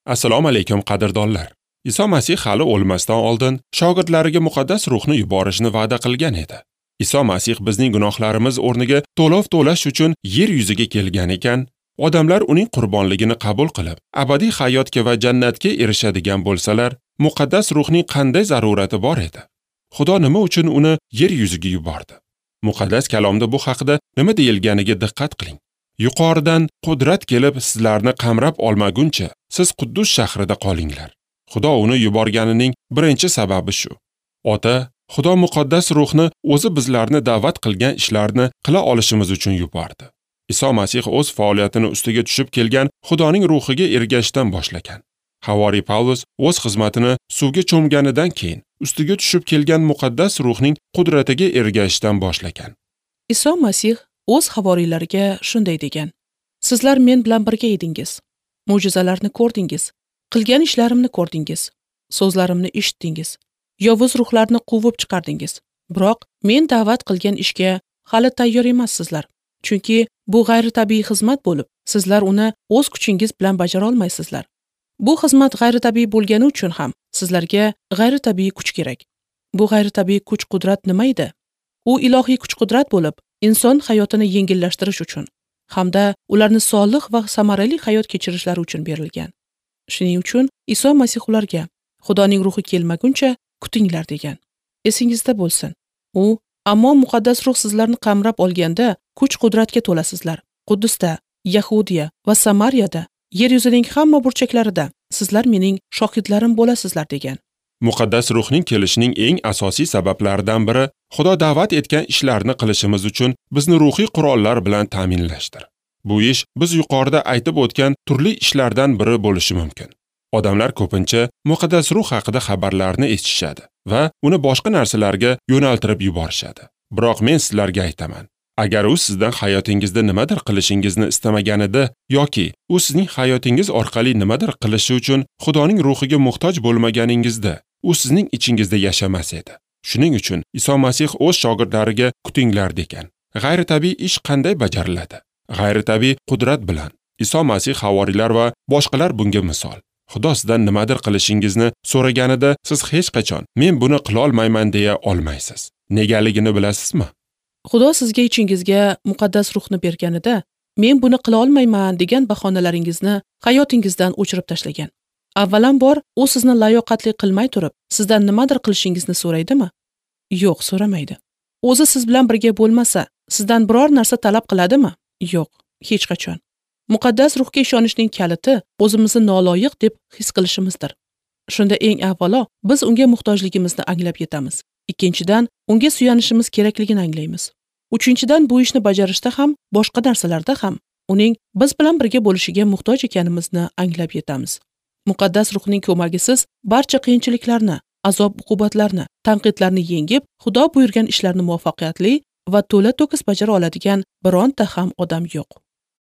Assalomu alaykum qadrdonlar. Iso Masih hali o'lmasdan oldin shogirdlariga muqaddas ruhni yuborishni va'da qilgan edi. Iso Masih bizning gunohlarimiz o'rniga to'lov to'lash uchun yer yuziga kelgan ekan, odamlar uning qurbonligini qabul qilib, abadiy hayotga va jannatga erishadigan bo'lsalar, muqaddas ruhning qanday zarurati bor edi? Xudo nima uchun uni yer yuziga yubordi? Muqaddas kalomda bu haqida nima deyilganiga diqqat qiling. Yuqoridan qudrat kelib sizlarni qamrab olmaguncha siz Quddus shahrida qolinglar. Xudo uni yuborganining birinchi sababi shu. Ota, Xudo muqaddas ruhni o'zi bizlarni da'vat qilgan ishlarni qila olishimiz uchun yubordi. Iso Masih o'z faoliyatini ustiga tushib kelgan Xudoning ruhiga ergashishdan boshlagan. Havoriy Pavlus o'z xizmatini suvga cho'mganidan keyin ustiga tushib kelgan muqaddas ruhning qudratiga ergashishdan boshlagan. Iso Masih o'z havoriylariga shunday degan: Sizlar men bilan birga edingiz, mo'jizalarni ko'rdingiz, qilgan ishlarimni ko'rdingiz, so'zlarimni eshitdingiz, yovuz ruhlarni quvib chiqardingiz. Biroq men da'vat qilgan ishga hali tayyor emassizlar. Chunki bu g'ayritabiiy xizmat bo'lib, sizlar uni o'z kuchingiz bilan bajara olmaysizlar. Bu xizmat g'ayritabiiy bo'lgani uchun ham sizlarga g'ayritabiiy kuch kerak. Bu g'ayritabiiy kuch-qudrat nima edi? U ilohiy kuch-qudrat bo'lib, inson hayotini yengillashtirish uchun hamda ularni solih va samarali hayot kechirishlari uchun berilgan. Shuning uchun Iso Masih ularga Xudoning ruhi kelmaguncha kutinglar degan. Esingizda bo'lsin, u ammo muqaddas ruh sizlarni qamrab olganda kuch-qudratga to'lasizlar. Quddusda, Yahudiya va Samariyada, yer yuzining hamma burchaklarida sizlar mening shohidlarim bo'lasizlar degan. Muqaddas ruhning kelishining eng asosiy sabablaridan biri Xudo da'vat etgan ishlarni qilishimiz uchun bizni ruhiy qurollar bilan ta'minlashdir. Bu ish biz yuqorida aytib o'tgan turli ishlardan biri bo'lishi mumkin. Odamlar ko'pincha muqaddas ruh haqida xabarlarni eshitishadi va uni boshqa narsalarga yo'naltirib yuborishadi. Biroq men sizlarga aytaman, agar u sizdan hayotingizda nimadir qilishingizni istamaganida yoki u sizning hayotingiz orqali nimadir qilishi uchun Xudoning ruhiga muhtoj bo'lmaganingizda, u sizning ichingizda yashamas edi. Shuning uchun Iso Masih o'z shogirdlariga kutinglar degan. G'ayritabiiy ish qanday bajariladi? G'ayritabiiy qudrat bilan. Iso Masih havoriylar va boshqalar bunga misol. Xudo sizdan nimadir qilishingizni so'raganida siz hech qachon men buni qila olmayman deya olmaysiz. Negaligini bilasizmi? Xudo sizga ichingizga muqaddas ruhni berganida men buni qila olmayman degan bahonalaringizni hayotingizdan o'chirib tashlagan. Avvalambor, u sizni layoqatli qilmay turib, sizdan nimadir qilishingizni so'raydimi? Yo'q, so'ramaydi. O'zi siz bilan birga bo'lmasa, sizdan biror narsa talab qiladimi? Yo'q, hech qachon. Muqaddas ruhga ishonishning kaliti o'zimizni noloyiq deb his qilishimizdir. Shunda eng avvalo biz unga muhtojligimizni anglab yetamiz. Ikkinchidan, unga suyanishimiz kerakligini anglaymiz. Uchinchidan, bu ishni bajarishda ham, boshqa narsalarda ham uning biz bilan birga bo'lishiga muhtoj ekanimizni anglab yetamiz. Muqaddas ruhning ko'magisiz barcha qiyinchiliklarni, azob-uqubatlarni, tanqidlarni yengib, Xudo buyurgan ishlarni muvaffaqiyatli va to'la-to'kis bajara oladigan bironta ham odam yo'q.